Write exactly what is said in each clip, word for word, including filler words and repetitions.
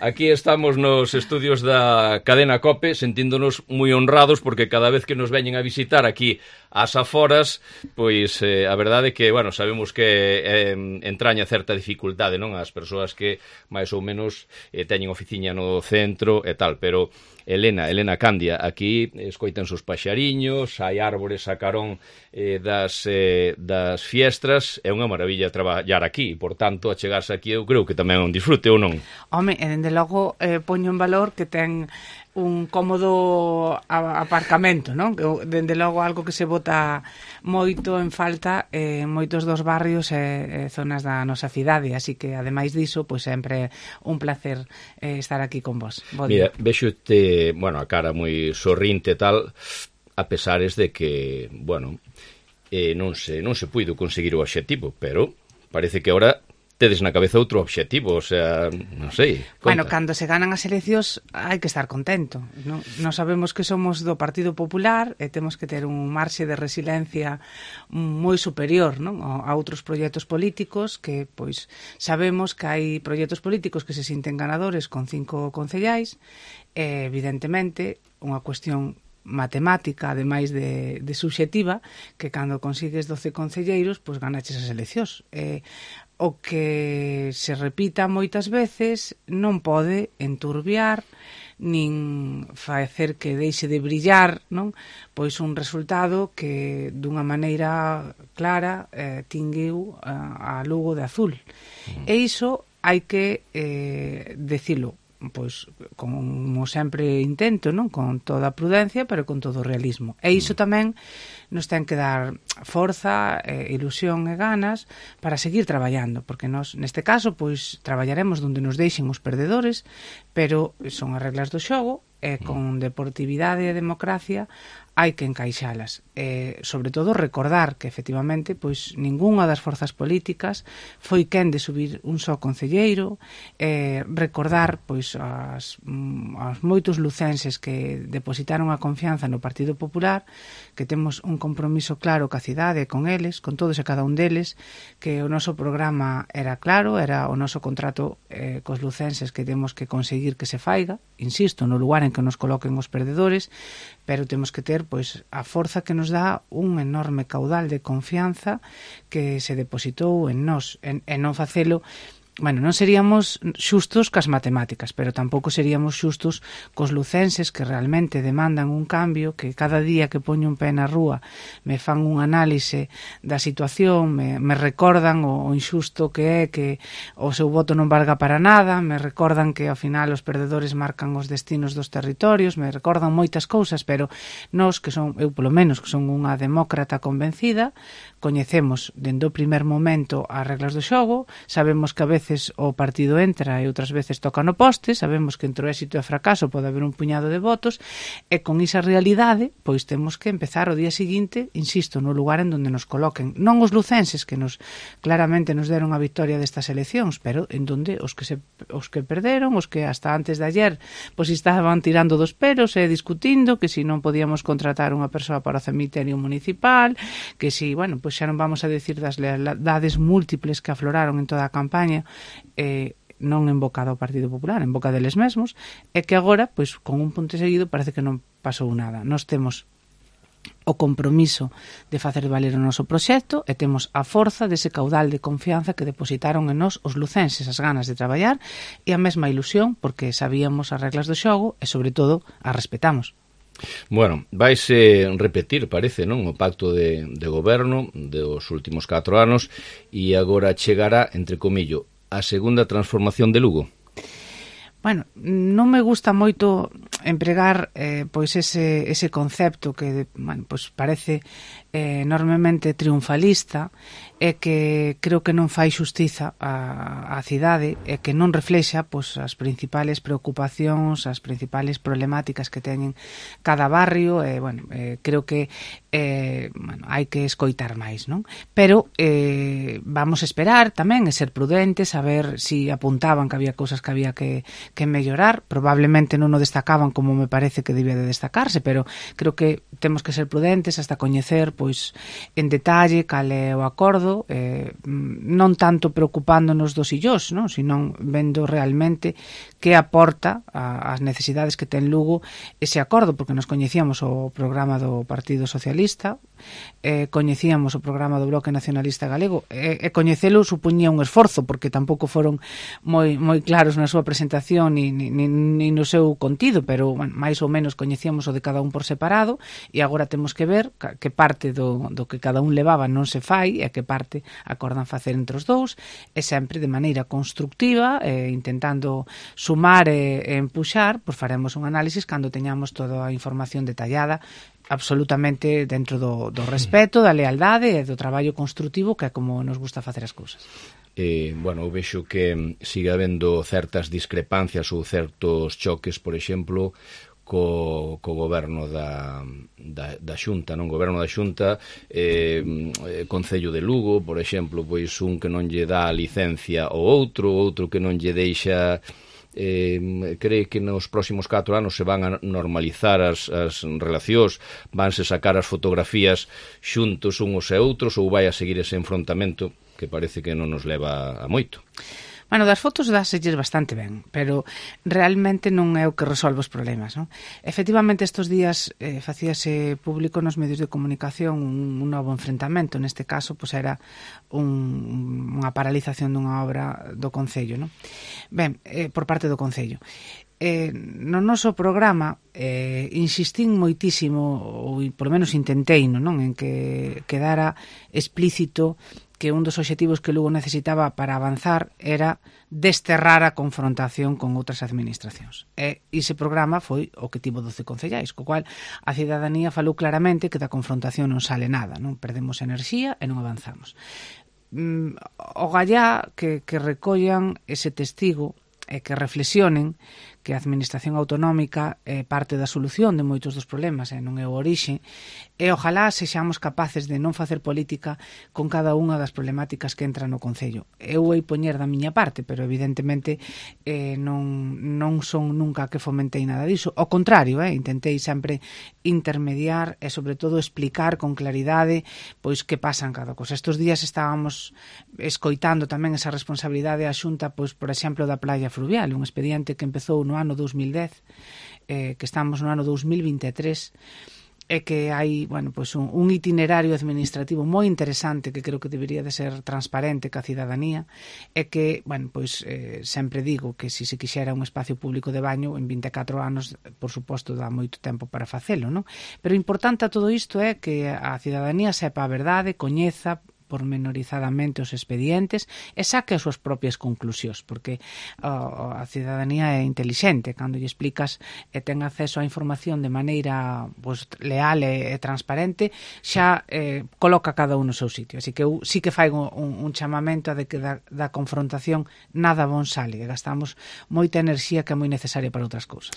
Aquí estamos nos estudios da cadena COPE sentíndonos moi honrados porque cada vez que nos veñen a visitar aquí ás aforas, pois eh, a verdade é que, bueno, sabemos que eh, entraña certa dificultade, non? As persoas que máis ou menos eh, teñen oficiña no centro e tal, pero Elena, Elena Candia, aquí escoitan os paxariños, hai árbores a carón eh, das, eh, das fiestras, é unha maravilla traballar aquí, por tanto, a chegarse aquí eu creo que tamén é un disfrute, ou non? Home, e dende logo eh, poño en valor que ten un cómodo aparcamento, non? Dende logo algo que se bota moito en falta en eh, moitos dos barrios e eh, zonas da nosa cidade, así que ademais diso, pois sempre un placer eh, estar aquí con vos. Bo Mira, vexote, bueno, a cara moi sorrinte e tal, a pesares de que, bueno, eh, non se non se puido conseguir o obxectivo, pero parece que agora tedes na cabeza outro obxectivo, o sea, non sei. Conta. Bueno, cando se ganan as eleccións hai que estar contento, non? Nos sabemos que somos do Partido Popular e temos que ter un marxe de resiliencia moi superior, non? A outros proxectos políticos que, pois, sabemos que hai proxectos políticos que se sinten ganadores con cinco concellais e, evidentemente, unha cuestión matemática, ademais de, de subxetiva, que cando consigues doce concelleiros, pois ganaches as eleccións. E o que se repita moitas veces non pode enturbiar nin facer que deixe de brillar, non? Pois un resultado que dunha maneira clara eh, tingueu a, a Lugo de azul. Mm. E iso hai que eh, decilo, pois como sempre intento, non? Con toda a prudencia, pero con todo o realismo. E iso tamén nos ten que dar forza, eh, ilusión e ganas para seguir traballando, porque nós, neste caso, pois traballaremos onde nos deixen os perdedores, pero son as reglas do xogo e con deportividade e democracia hai que encaixalas. E, sobre todo, recordar que, efectivamente, pois ningunha das forzas políticas foi quen de subir un só concelleiro, e recordar pois as, as moitos lucenses que depositaron a confianza no Partido Popular, que temos un compromiso claro ca cidade, con eles, con todos e cada un deles, que o noso programa era claro, era o noso contrato eh, cos lucenses que temos que conseguir que se faiga, insisto, no lugar en que nos coloquen os perdedores, pero temos que ter pois a forza que nos dá un enorme caudal de confianza que se depositou en nós, en, en non facelo. Bueno, non seríamos xustos cas matemáticas, pero tampouco seríamos xustos cos lucenses que realmente demandan un cambio, que cada día que poño un pé na rúa me fan un análise da situación, me, me recordan o, o injusto que é que o seu voto non valga para nada, me recordan que ao final os perdedores marcan os destinos dos territorios, me recordan moitas cousas, pero nós, que son, eu polo menos, que son unha demócrata convencida, coñecemos dende o primer momento as reglas do xogo, sabemos que a veces o partido entra e outras veces toca no poste, sabemos que entre o éxito e o fracaso pode haber un puñado de votos, e con esa realidade pois temos que empezar o día seguinte, insisto, no lugar en donde nos coloquen, non os lucenses que nos claramente nos deron a victoria destas eleccións, pero en donde os que se, os que perderon, os que hasta antes de ayer pois estaban tirando dos pelos e discutindo que si non podíamos contratar unha persoa para o cemiterio municipal, que si, bueno, pois xa non vamos a decir das lealdades múltiples que afloraron en toda a campaña, eh, non en boca do Partido Popular, en boca deles mesmos, e que agora, pois, con un punto seguido parece que non pasou nada. Nós temos o compromiso de facer valer o noso proxecto e temos a forza dese caudal de confianza que depositaron en nós os lucenses, as ganas de traballar e a mesma ilusión, porque sabíamos as reglas do xogo e, sobre todo, as respetamos. Bueno, vaise repetir, parece, non? O pacto de, de goberno dos últimos catro anos e agora chegará, entre comillo, a segunda transformación de Lugo. Bueno, non me gusta moito empregar eh, pois ese, ese concepto que, bueno, pois parece eh, enormemente triunfalista e que creo que non fai xustiza á, á cidade e que non reflexa pois, as principales preocupacións, as principales problemáticas que teñen cada barrio e, bueno, eh, creo que eh, bueno, hai que escoitar máis, non? Pero eh, vamos a esperar tamén e ser prudentes, a ver si apuntaban que había cousas que había que, que mellorar, probablemente non o destacaban destacaban como me parece que debía de destacarse, pero creo que temos que ser prudentes hasta coñecer pois en detalle cal é o acordo, eh, non tanto preocupándonos dos illós, non? Sino vendo realmente que aporta a, as necesidades que ten Lugo ese acordo, porque nos coñecíamos o programa do Partido Socialista, eh, coñecíamos o programa do Bloque Nacionalista Galego, e, e coñecelo supuñía un esforzo, porque tampouco foron moi moi claros na súa presentación ni, ni, ni no seu contido, pero bueno, máis ou menos coñecíamos o de cada un por separado, e agora temos que ver que parte do, do que cada un levaba non se fai, e que parte acordan facer entre os dous, e sempre de maneira constructiva, eh, intentando sumar e, e empuxar, pois faremos un análisis cando teñamos toda a información detallada, absolutamente dentro do, do respeto, da lealdade e do traballo construtivo, que é como nos gusta facer as cousas. Eh, bueno, eu vexo que sigue habendo certas discrepancias ou certos choques, por exemplo, co, co goberno da, da, da Xunta, non? Goberno da Xunta, eh, Concello de Lugo, por exemplo, pois un que non lle dá a licencia ao outro, outro que non lle deixa... Eh, cree que nos próximos catro anos se van a normalizar as, as relacións, vanse sacar as fotografías xuntos uns e outros, ou vai a seguir ese enfrontamento que parece que non nos leva a moito? Bueno, das fotos dáselles bastante ben, pero realmente non é o que resolve os problemas, non? Efectivamente, estes días eh, facíase público nos medios de comunicación un, un novo enfrentamento, neste caso, pois era un, unha paralización dunha obra do Concello, non? Ben, eh, por parte do Concello. Eh, no noso programa eh, insistín moitísimo, ou polo menos intentei, non? En que quedara explícito que un dos obxectivos que Lugo necesitaba para avanzar era desterrar a confrontación con outras administracións. E ese programa foi o que tivo doce concellais, co cual a cidadanía falou claramente que da confrontación non sale nada, non perdemos enerxía e non avanzamos. Mm, o gallá que, que recollan ese testigo e que reflexionen que a administración autonómica é parte da solución de moitos dos problemas e non é o orixe, e ojalá sexamos capaces de non facer política con cada unha das problemáticas que entran no Concello. Eu hei poñer da miña parte, pero evidentemente eh, non, non son nunca que fomentei nada diso. Ao contrario, eh, intentei sempre intermediar e, sobre todo, explicar con claridade pois que pasa en cada cosa. Estos días estábamos escoitando tamén esa responsabilidade a Xunta, pois, por exemplo, da Playa Fluvial, un expediente que empezou no ano dos mil dez, eh, que estamos no ano dos mil vinte e tres, e que hai, bueno, pois un, un itinerario administrativo moi interesante que creo que debería de ser transparente ca cidadanía, e que, bueno, pois eh, sempre digo que se se quixera un espacio público de baño en vinte e catro anos, por suposto, dá moito tempo para facelo, non? Pero o importante a todo isto é que a cidadanía sepa a verdade, coñeza pormenorizadamente os expedientes e saque as súas propias conclusións, porque uh, a cidadanía é intelixente cando lle explicas e ten acceso á información de maneira pues, leal e, e transparente, xa eh, coloca cada un no seu sitio. Así que eu sí que faigo un, un chamamento a de que da, da confrontación nada bon sale, e gastamos moita enerxía que é moi necesaria para outras cousas.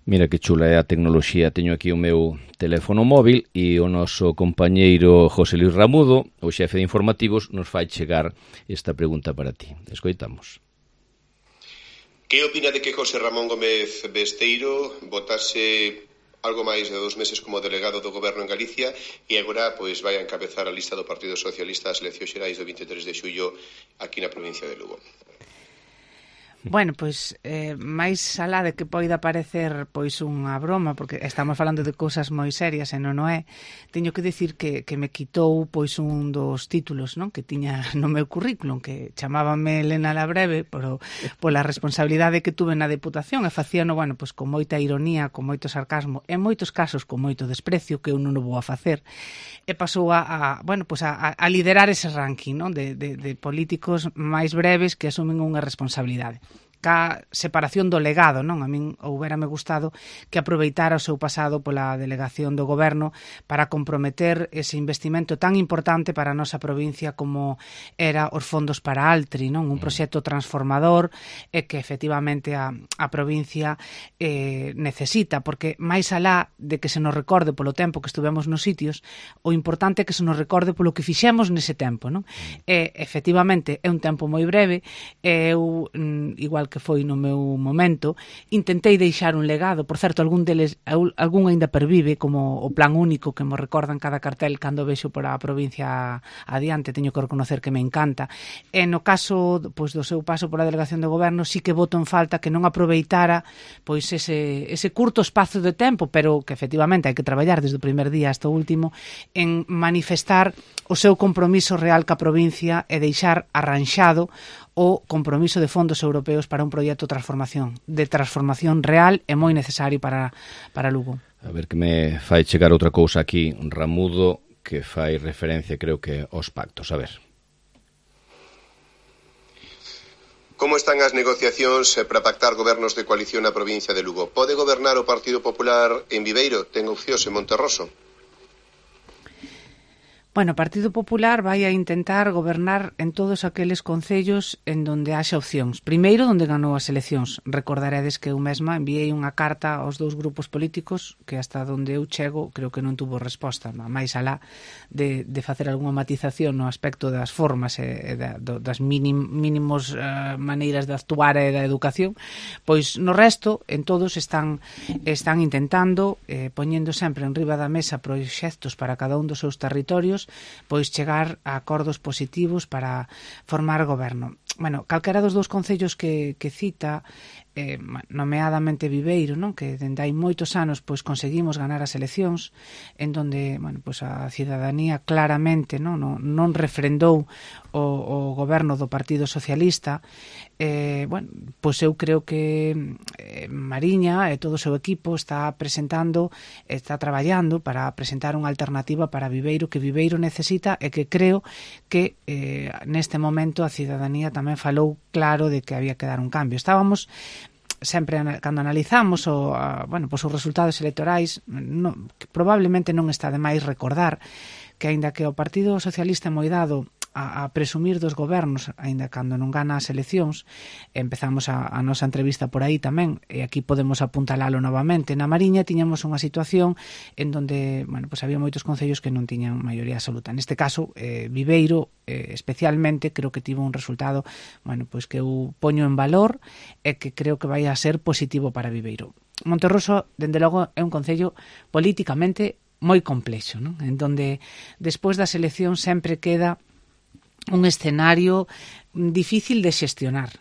Mira que chula é a tecnoloxía. Teño aquí o meu teléfono móvil e o noso compañeiro José Luis Ramudo, o xefe de informativos, nos fai chegar esta pregunta para ti. Escoitamos. Que opina de que José Ramón Gómez Besteiro votase algo máis de dos meses como delegado do Goberno en Galicia e agora pois vai a encabezar a lista do Partido Socialista ás eleccións xerais do vinte e tres de xullo aquí na provincia de Lugo? Bueno, pois, eh, máis alá de que poida parecer pois unha broma, porque estamos falando de cousas moi serias e non o é, teño que dicir que, que me quitou pois un dos títulos, non, que tiña no meu currículum, que chamábame Elena Labreve por, pola responsabilidade que tuve na Deputación, e facíano, bueno, pois con moita ironía, con moito sarcasmo, en moitos casos con moito desprecio, que eu non o vou a facer, e pasou a, a bueno, pois a, a liderar ese ranking, non, de, de, de políticos máis breves que asumen unha responsabilidade. Ca separación do legado, non? A min houbérame gustado que aproveitara o seu pasado pola delegación do goberno para comprometer ese investimento tan importante para a nosa provincia como era os fondos para Altri, non? Un proxecto transformador e que efectivamente a, a provincia eh, necesita, porque máis alá de que se nos recorde polo tempo que estuvemos nos sitios, o importante é que se nos recorde polo que fixemos nese tempo, non? E efectivamente é un tempo moi breve, e eu, igual que que foi no meu momento, intentei deixar un legado, por certo, algún deles, algún ainda pervive, como o plan único que me recordan cada cartel cando vexo por a provincia adiante, teño que reconocer que me encanta. E no caso pois, do seu paso pola delegación de goberno, sí que voto en falta que non aproveitara pois ese, ese curto espazo de tempo, pero que efectivamente hai que traballar desde o primer día hasta o último, en manifestar o seu compromiso real ca provincia e deixar arranxado o compromiso de fondos europeos para un proxecto de transformación, de transformación real e moi necesario para, para Lugo. A ver que me fai chegar outra cousa aquí, Ramudo, que fai referencia, creo que, aos pactos. A ver. Como están as negociacións para pactar gobernos de coalición na provincia de Lugo? Pode gobernar o Partido Popular en Viveiro? Ten opcións en Monterroso? Bueno, o Partido Popular vai a intentar gobernar en todos aqueles concellos en donde haxa opcións. Primeiro, onde ganou as eleccións. Recordaredes que eu mesma enviei unha carta aos dous grupos políticos que hasta onde eu chego creo que non tuvo resposta, máis alá de, de facer algunha matización no aspecto das formas e, e da, do, das minim, mínimos uh, maneiras de actuar e da educación. Pois no resto, en todos están, están intentando, eh, poñendo sempre en riba da mesa proxectos para cada un dos seus territorios, pois chegar a acordos positivos para formar goberno. Bueno, calquera dos dous concellos que, que cita, eh, nomeadamente Viveiro, non? Que dende hai moitos anos pois conseguimos ganar as eleccións, en donde, bueno, pois a cidadanía claramente non, non, non refrendou o, o goberno do Partido Socialista. Eh, bueno, pois eu creo que eh, Mariña e todo o seu equipo está presentando, está traballando para presentar unha alternativa para Viveiro que Viveiro necesita e que creo que eh, neste momento a cidadanía tamén falou claro de que había que dar un cambio. Estábamos sempre cando analizamos o, a, bueno, pois os resultados electorais, no, que probablemente non está de máis recordar que aínda que o Partido Socialista é moi dado a, a presumir dos gobernos, aínda cando non gana as eleccións, empezamos a, a nosa entrevista por aí tamén, e aquí podemos apuntalalo novamente. Na Mariña tiñamos unha situación en donde, bueno, pues había moitos concellos que non tiñan maioría absoluta. Neste caso, eh, Viveiro, eh, especialmente, creo que tivo un resultado, bueno, pues que eu poño en valor e que creo que vai a ser positivo para Viveiro. Monterroso, dende logo, é un concello políticamente moi complexo, non? En donde, despois das eleccións, sempre queda un escenario difícil de xestionar.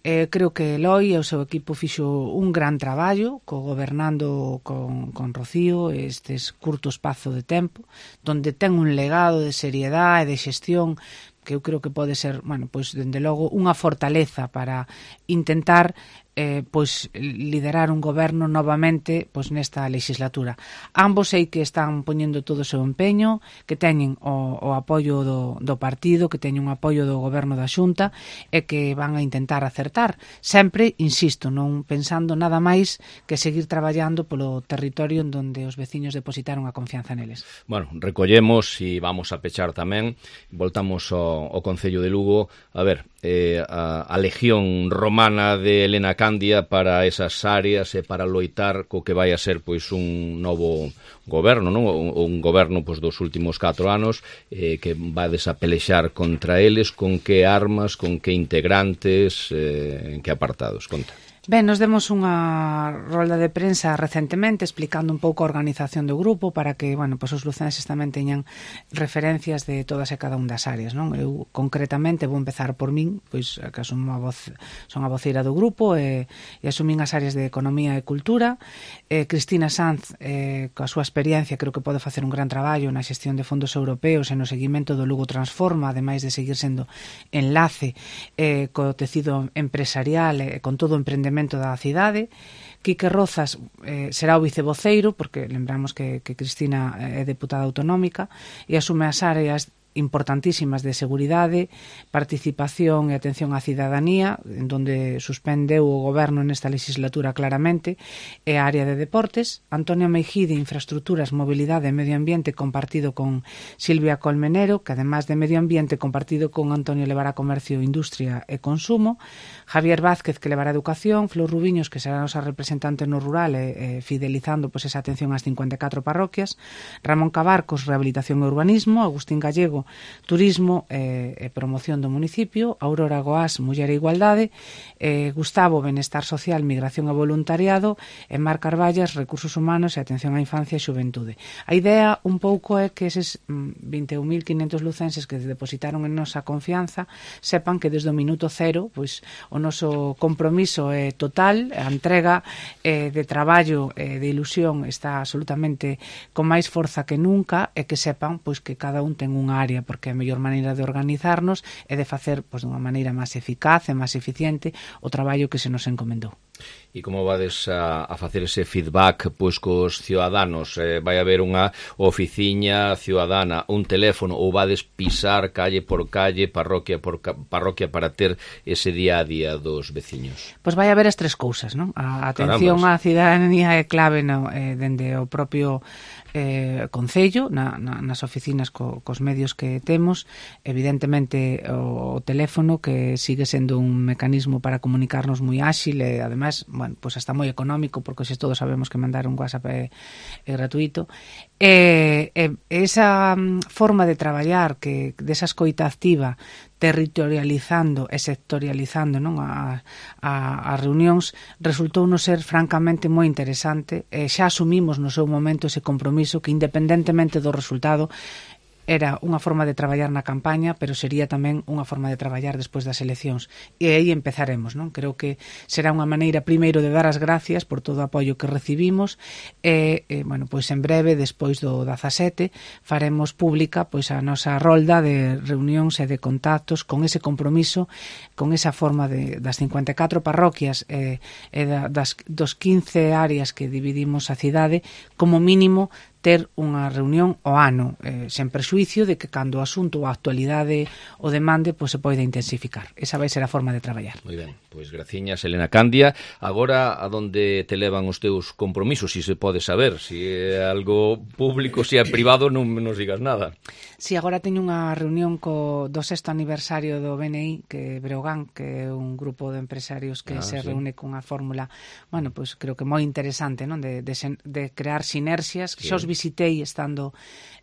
Eh, creo que Eloi e o seu equipo fixo un gran traballo co gobernando con, con Rocío estes curto espazo de tempo, donde ten un legado de seriedade e de xestión que eu creo que pode ser, bueno, pois dende logo unha fortaleza para intentar eh, pois liderar un goberno novamente pois nesta legislatura. Ambos sei que están poñendo todo o seu empeño, que teñen o, o apoio do, do partido, que teñen un apoio do goberno da Xunta e que van a intentar acertar. Sempre, insisto, non pensando nada máis que seguir traballando polo territorio en donde os veciños depositaron a confianza neles. Bueno, recollemos e vamos a pechar tamén. Voltamos ao, ao Concello de Lugo. A ver, eh, a, a legión romana de Elena Candia para esas áreas e para loitar co que vai a ser pois un novo goberno, non? Un, un goberno pois dos últimos catro anos eh, que vades a pelexar contra eles, con que armas, con que integrantes, eh, en que apartados, conta. Ben, nos demos unha rolda de prensa recentemente explicando un pouco a organización do grupo para que, bueno, pois os lucenses tamén teñan referencias de todas e cada un das áreas, non? Eu concretamente vou empezar por min, pois que son a voz, son a voceira do grupo e, e asumín as áreas de Economía e Cultura. Eh, Cristina Sanz, eh, coa súa experiencia, creo que pode facer un gran traballo na xestión de fondos europeos e no seguimento do Lugo Transforma, ademais de seguir sendo enlace eh, co tecido empresarial e con todo o emprendemento da cidade. Quique Rozas eh, será o vicevoceiro, porque lembramos que, que Cristina é deputada autonómica e asume as áreas importantísimas de seguridade, participación e atención á cidadanía, en donde suspendeu o goberno nesta legislatura claramente, e a área de deportes. Antonio Meijide, infraestructuras, mobilidade e medio ambiente, compartido con Silvia Colmenero, que además de medio ambiente compartido con Antonio levará comercio, industria e consumo. Javier Vázquez, que levará educación. Flor Rubiños, que será a nosa representante no rural e, e fidelizando pois, esa atención ás cincuenta e catro parroquias. Ramón Cabarcos, rehabilitación e urbanismo. Agustín Gallego, Emprego, Turismo e, e Promoción do municipio, Aurora Goás, Muller e Igualdade, eh, Gustavo, Benestar Social, Migración e Voluntariado, e Mar Carballas, Recursos Humanos e Atención á Infancia e Xuventude. A idea un pouco é que eses vinte e un mil quinhentos lucenses que depositaron en nosa confianza sepan que desde o minuto cero pois, o noso compromiso é total, a entrega eh, de traballo e eh, de ilusión está absolutamente con máis forza que nunca, e que sepan pois que cada un ten unha área, porque é a mellor maneira de organizarnos e de facer pois, dunha maneira máis eficaz e máis eficiente o traballo que se nos encomendou. E como vades a, a facer ese feedback pois cos ciudadanos? Eh, vai haber unha oficiña ciudadana, un teléfono, ou vades pisar calle por calle, parroquia por ca, parroquia para ter ese día a día dos veciños? Pois vai haber as tres cousas, non? A atención á cidadanía é clave no, eh, dende o propio eh, Concello, na, na, nas oficinas co, cos medios que temos, evidentemente o, o teléfono que sigue sendo un mecanismo para comunicarnos moi áxil e ademais, bueno, pois hasta moi económico, porque xe todos sabemos que mandar un WhatsApp é, é gratuito. E, e esa forma de traballar que desa escoita activa, territorializando e sectorializando, non, a, a, as reunións, resultou non ser francamente moi interesante, e xa asumimos no seu momento ese compromiso que independentemente do resultado era unha forma de traballar na campaña, pero sería tamén unha forma de traballar despois das eleccións. E aí empezaremos, non? Creo que será unha maneira primeiro de dar as gracias por todo o apoio que recibimos e, e bueno, pois en breve, despois do dezasete, faremos pública pois a nosa rolda de reunións e de contactos con ese compromiso, con esa forma de, das cincuenta e catro parroquias e, e da, das, dos quince áreas que dividimos a cidade, como mínimo ter unha reunión ao ano, eh, sen prexuicio de que cando o asunto ou a actualidade o demande, pois se pode intensificar. Esa vai ser a forma de traballar. Moi ben, pois graciñas, Elena Candia. Agora, a donde te levan os teus compromisos, si se pode saber, si é algo público, si é privado, non nos digas nada. Si, agora teño unha reunión co do sexto aniversario do B N I, que é Breogán, que é un grupo de empresarios que ah, se sí. reúne cunha fórmula, bueno, pois creo que moi interesante, non, de, de, de crear sinerxias, que sí. xa os visitei estando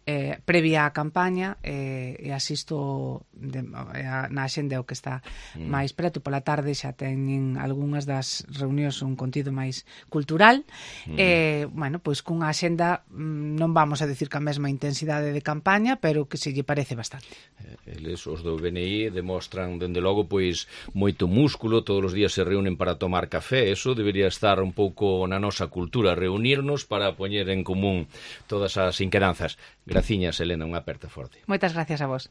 eh, previa á campaña eh, e asisto de, a, na axenda o que está mm. máis preto. Pola tarde xa teñen algunhas das reunións un contido máis cultural mm. e, bueno, pois cunha axenda non vamos a decir que a mesma intensidade de campaña, pero que se lle parece bastante. Eles, os do B N I, demostran, dende logo, pois moito músculo, todos os días se reúnen para tomar café, eso debería estar un pouco na nosa cultura, reunirnos para poñer en común todas as inquedanzas. Graciñas, Elena, unha aperta forte. Moitas gracias a vos.